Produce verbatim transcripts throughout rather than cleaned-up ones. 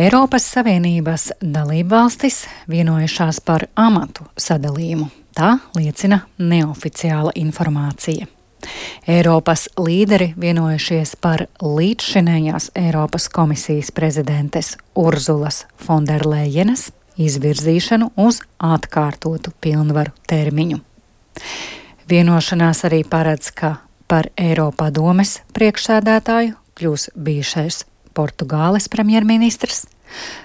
Eiropas Savienības dalībvalstis vienojušās par amatu sadalījumu. Tā liecina neoficiāla informācija. Eiropas līderi vienojušies par līdzšinējās Eiropas komisijas prezidentes Urzulas Fonderlejenes izvirzīšanu uz atkārtotu pilnvaru termiņu. Vienošanās arī paredz, ka par Eiropadomes priekšsēdētāju kļūs bijušais Portugāles premjerministrs,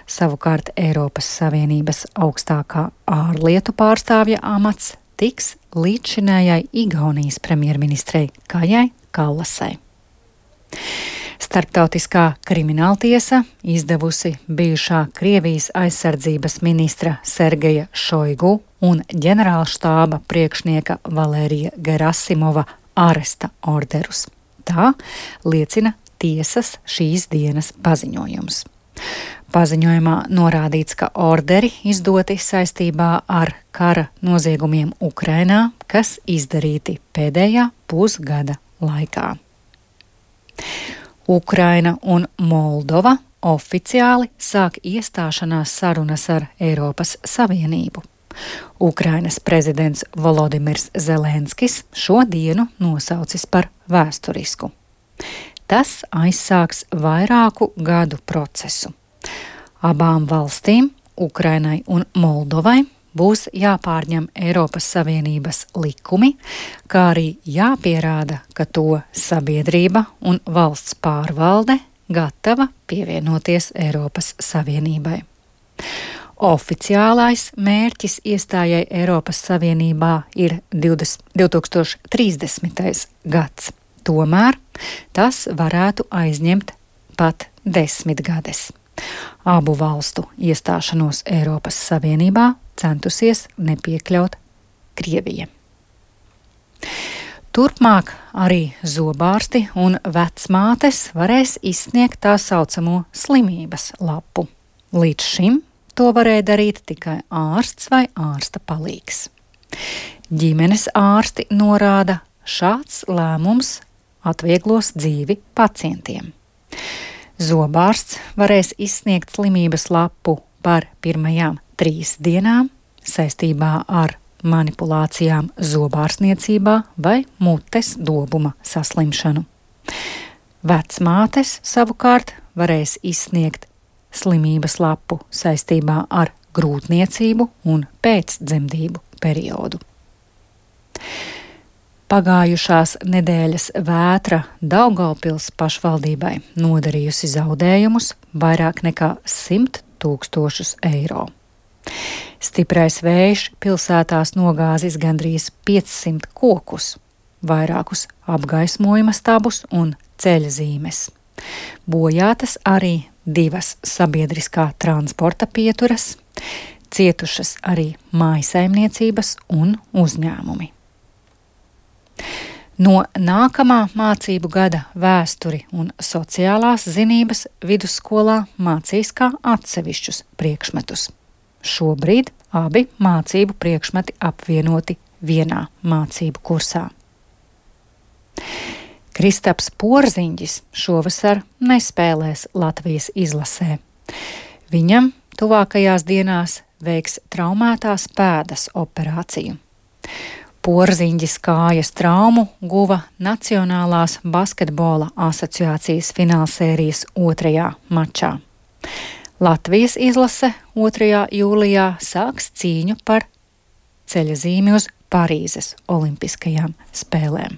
savukārt Eiropas Savienības augstākā ārlietu pārstāvja amats tiks līdzšinējai Igaunijas premjerministrei Kajai Kallasai. Starptautiskā krimināltiesa izdevusi bijušā Krievijas aizsardzības ministra Sergeja Šoigu un ģenerālštāba priekšnieka Valērija Gerasimova aresta orderus. Tā liecina tiesas šīs dienas paziņojums. Paziņojumā norādīts, ka orderi izdoti saistībā ar kara noziegumiem Ukrainā, kas izdarīti pēdējā pusgada laikā. Ukraina un Moldova oficiāli sāk iestāšanās sarunas ar Eiropas Savienību. Ukrainas prezidents Volodimirs Zelenskis šo dienu nosaucis par vēsturisku. Tas aizsāks vairāku gadu procesu. Abām valstīm, Ukrainai un Moldovai, būs jāpārņem Eiropas Savienības likumi, kā arī jāpierāda, ka to sabiedrība un valsts pārvalde gatava pievienoties Eiropas Savienībai. Oficiālais mērķis iestājai Eiropas Savienībā ir divtūkstoš trīsdesmitais gads. Tomēr tas varētu aizņemt pat desmit gades. Abu valstu iestāšanos Eiropas Savienībā centusies nepiekļaut Krievija. Turpmāk arī zobārsti un vecmātes varēs izsniegt tā saucamo slimības lapu. Līdz šim to varēja darīt tikai ārsts vai ārsta palīgs. Ģimenes ārsti norāda, šāds lēmums atvieglos dzīvi pacientiem. Zobārsts varēs izsniegt slimības lapu par pirmajām trīs dienām saistībā ar manipulācijām zobārstniecībā vai mutes dobuma saslimšanu. Vecmātes savukārt varēs izsniegt slimības lapu saistībā ar grūtniecību un pēcdzemdību periodu. Pagājušās nedēļas vētra Daugavpils pašvaldībai nodarījusi zaudējumus vairāk nekā simt tūkstošus eiro. Stiprais vējš pilsētās nogāzis gandrīz piecsimt kokus, vairākus apgaismojuma stabus un ceļzīmes. Bojātas arī divas sabiedriskā transporta pieturas, cietušas arī mājsaimniecības un uzņēmumi. No nākamā mācību gada vēsturi un sociālās zinības vidusskolā mācīs kā atsevišķus priekšmetus. Šobrīd abi mācību priekšmeti apvienoti vienā mācību kursā. Kristaps Porziņģis šovasar nespēlēs Latvijas izlasē. Viņam tuvākajās dienās veiks traumētās pēdas operāciju. Porziņģis kājas traumu guva Nacionālās basketbola asociācijas finālsērijas otrajā mačā. Latvijas izlase otrajā jūlijā sāks cīņu par ceļazīmi uz Parīzes olimpiskajām spēlēm.